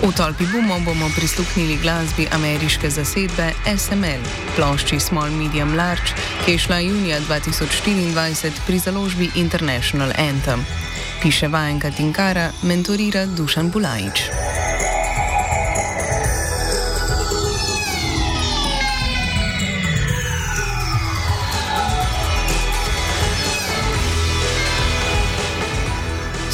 V Tolpi Bumo bomo prisluhnili glasbi ameriške zasedbe SML, plošči Small Medium Large, ki je šla junija 2024 pri založbi International Anthem. Piše Vajenka Tinkara, mentorira Dušan Bulajič.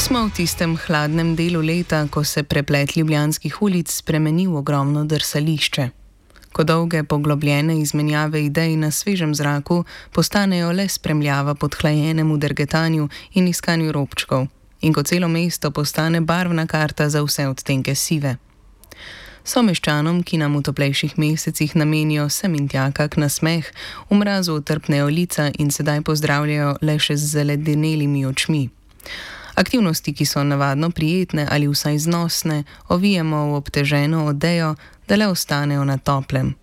Smo v tistem hladnem delu leta, ko se preplet ljubljanskih ulic spremeni v ogromno drsališče. Ko dolge poglobljene izmenjave idej na svežem zraku postanejo le spremljava podhlajenemu drgetanju in iskanju robčkov, in ko celo mesto postane barvna karta za vse odtenke sive. Someščanom, ki nam v toplejših mesecih namenijo sem in tja kak nasmeh, v mrazu utrpnejo lica in sedaj pozdravljajo le še z zaledenelimi očmi. Aktivnosti, ki so navadno prijetne ali vsaj znosne, ovijemo v obteženo odejo, da le ostanejo na toplem.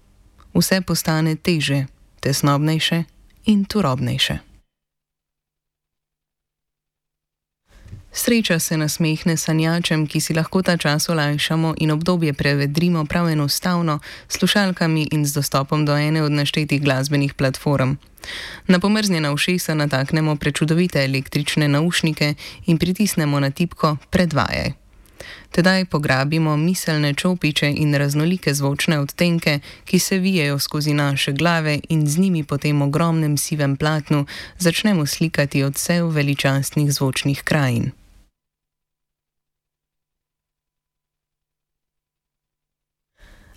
Vse postane teže, tesnobnejše in turobnejše. Sreča se nasmehne sanjačem, ki si lahko ta čas olajšamo in obdobje prevedrimo prav enostavno s slušalkami in z dostopom do ene od naštetih glasbenih platform. Na pomrznjena ušesa nataknemo prečudovite električne naušnike in pritisnemo na tipko Predvajaj. Tedaj pograbimo miselne čopiče in raznolike zvočne odtenke, ki se vijejo skozi naše glave in z njimi po tem ogromnem sivem platnu začnemo slikati odsev veličastnih zvočnih krajin.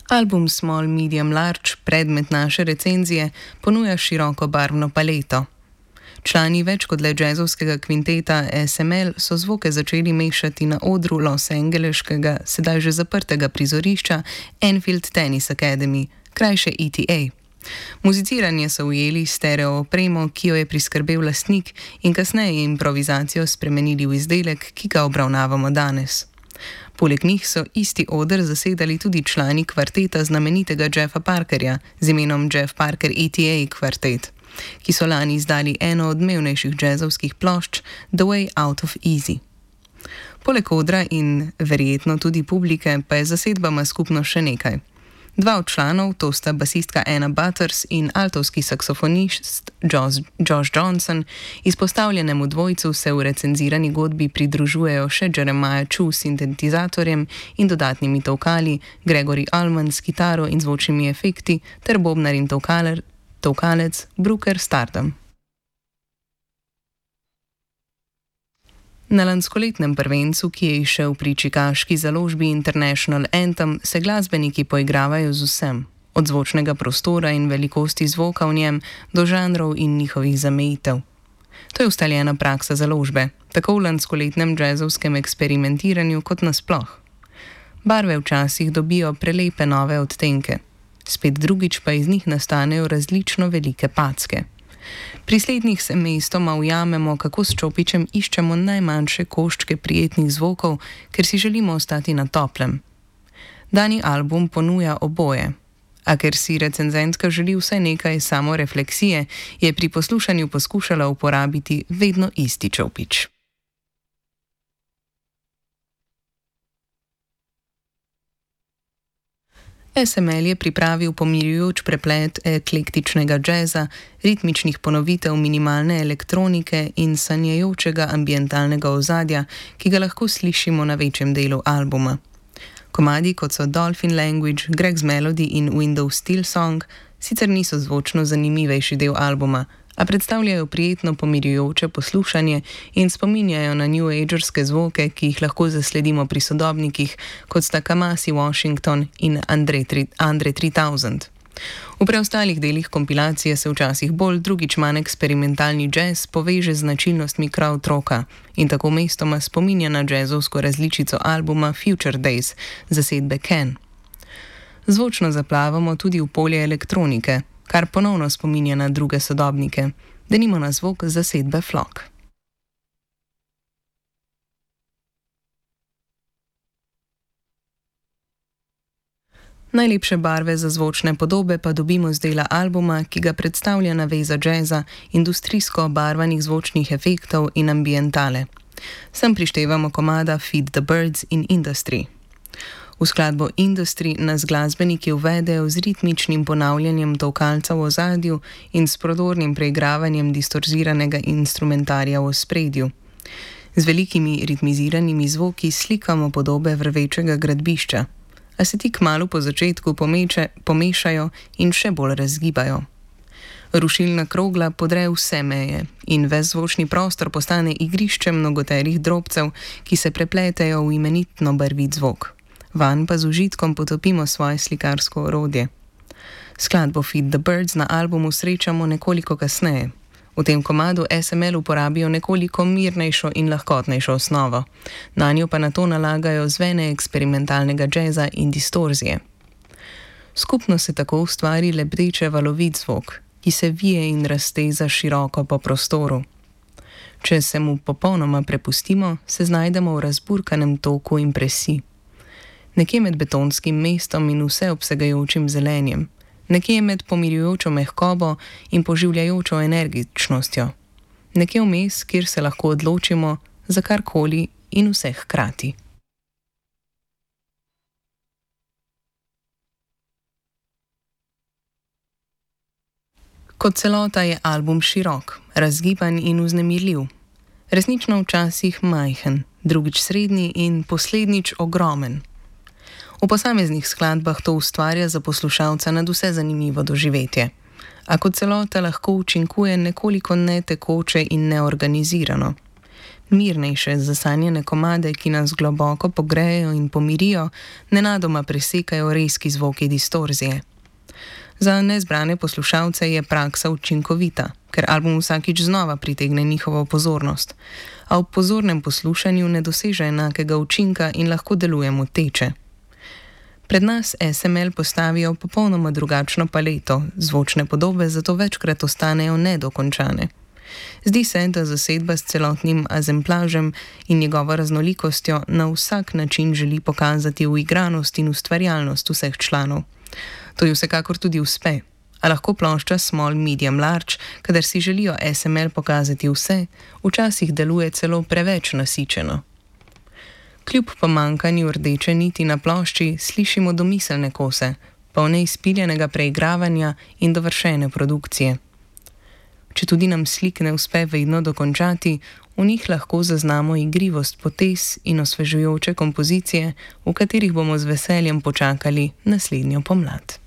Album Small Medium Large, predmet naše recenzije, ponuja široko barvno paleto. Člani več kot le džezovskega kvinteta SML so zvoke začeli mešati na odru losangeleškega, sedaj že zaprtega prizorišča Enfield Tennis Academy, krajše ETA. Muziciranje so ujeli stereo opremo, ki jo je priskrbel lastnik, in kasneje improvizacijo spremenili v izdelek, ki ga obravnavamo danes. Poleg njih so isti oder zasedali tudi člani kvarteta znamenitega Jeffa Parkerja z imenom Jeff Parker ETA kvartet, ki so lani izdali eno od odmevnejših džezovskih plošč The Way Out of Easy. Poleg odra in verjetno tudi publike pa je zasedbama skupno še nekaj. Dva od članov, to sta basistka Anna Butters in altovski saksofonist Josh Johnson, izpostavljenemu dvojcu se v recenzirani godbi pridružujejo še Jeremiah Chu s sintetizatorjem in dodatnimi tolkali, Gregory Allman s kitaro in zvočnimi efekti ter bobnar in tolkalec Brooker Stardom. Na lanskoletnem prvencu, ki je izšel pri čikaški založbi International Anthem, se glasbeniki poigravajo z vsem, od zvočnega prostora in velikosti zvoka v njem do žanrov in njihovih zamejitev. To je ustaljena praksa založbe, tako v lanskoletnem džezovskem eksperimentiranju kot nasploh. Barve včasih dobijo prelepe nove odtenke, spet drugič pa iz njih nastanejo različno velike packe. Pri slednjih se mestoma ujamemo, kako s čopičem iščemo najmanjše koščke prijetnih zvokov, ker si želimo ostati na toplem. Dani album ponuja oboje, a ker si recenzentka želi vsaj nekaj samorefleksije, je pri poslušanju poskušala uporabiti vedno isti čopič. SML je pripravil pomirjujoč preplet eklektičnega džeza, ritmičnih ponovitev minimalne elektronike in sanjajočega ambientalnega ozadja, ki ga lahko slišimo na večjem delu albuma. Komadi, kot so Dolphin Language, Greg's Melody in Windows Steel Song, sicer niso zvočno zanimivejši del albuma, a predstavljajo prijetno pomirjujoče poslušanje in spominjajo na New Agerske zvoke, ki jih lahko zasledimo pri sodobnikih, kot sta Kamasi Washington in Andre 3000. V preostalih delih kompilacije se včasih bolj, drugič manj eksperimentalni džez poveže z značilnostmi krautrocka in tako mestoma spominja na džezovsko različico albuma Future Days zasedbe Ken. Zvočno zaplavamo tudi v polje elektronike, kar ponovno spominja na druge sodobnike, denimo na zvok zasedbe Flock. Najlepše barve za zvočne podobe pa dobimo z dela albuma, ki ga predstavlja naveza džeza, industrijsko obarvanih zvočnih efektov in ambientale. Sem prištevamo komada Feed the Birds in Industry. V skladbo Industry nas glasbeniki uvedejo z ritmičnim ponavljanjem tolkalca v ozadju in s prodornim preigravanjem distorziranega instrumentarja v ospredju. Z velikimi ritmiziranimi zvoki slikamo podobe vrvečega gradbišča, a se ti kmalu po začetku pomešajo in še bolj razgibajo. Rušilna krogla podre vse meje in ves zvočni prostor postane igrišče mnogoterih drobcev, ki se prepletejo v imenitno barvit zvok. Vanj pa z užitkom potopimo svoje slikarsko orodje. Skladbo Feed the Birds na albumu srečamo nekoliko kasneje. V tem komadu SML uporabijo nekoliko mirnejšo in lahkotnejšo osnovo, nanjo pa nato nalagajo zvene eksperimentalnega džeza in distorzije. Skupno se tako ustvari lebdeče valovit zvok, ki se vije in razteza široko po prostoru. Če se mu popolnoma prepustimo, se znajdemo v razburkanem toku impresij. Nekje med betonskim mestom in vseobsegajočim zelenjem, nekje med pomirjujočo mehkobo in poživljajočo energičnostjo, nekje vmes, kjer se lahko odločimo za karkoli in vse hkrati. Kot celota je album širok, razgiban in vznemirljiv. Resnično včasih majhen, drugič srednji in poslednjič ogromen. V posameznih skladbah to ustvarja za poslušalca nadvse zanimivo doživetje, a kot celota lahko učinkuje nekoliko netekoče in neorganizirano. Mirnejše, zasanjene komade, ki nas globoko pogrejejo in pomirijo, nenadoma presekajo rezki zvoki distorzije. Za nezbrane poslušalce je praksa učinkovita, ker album vsakič znova pritegne njihovo pozornost, a ob pozornem poslušanju ne doseže enakega učinka in lahko deluje moteče. Pred nas SML postavijo popolnoma drugačno paleto, zvočne podobe zato večkrat ostanejo nedokončane. Zdi se, da zasedba s celotnim azemplažem in njegovo raznolikostjo na vsak način želi pokazati uigranost in ustvarjalnost vseh članov. To ji vsekakor tudi uspe, a lahko plošča Small Medium Large, kadar si želijo SML pokazati vse, včasih deluje celo preveč nasičeno. Kljub pomankanju rdeče niti na plošči slišimo domiselne kose, polne izpiljenega preigravanja in dovršene produkcije. Če tudi nam slik ne uspe vedno dokončati, v njih lahko zaznamo igrivost potez in osvežujoče kompozicije, v katerih bomo z veseljem počakali naslednjo pomlad.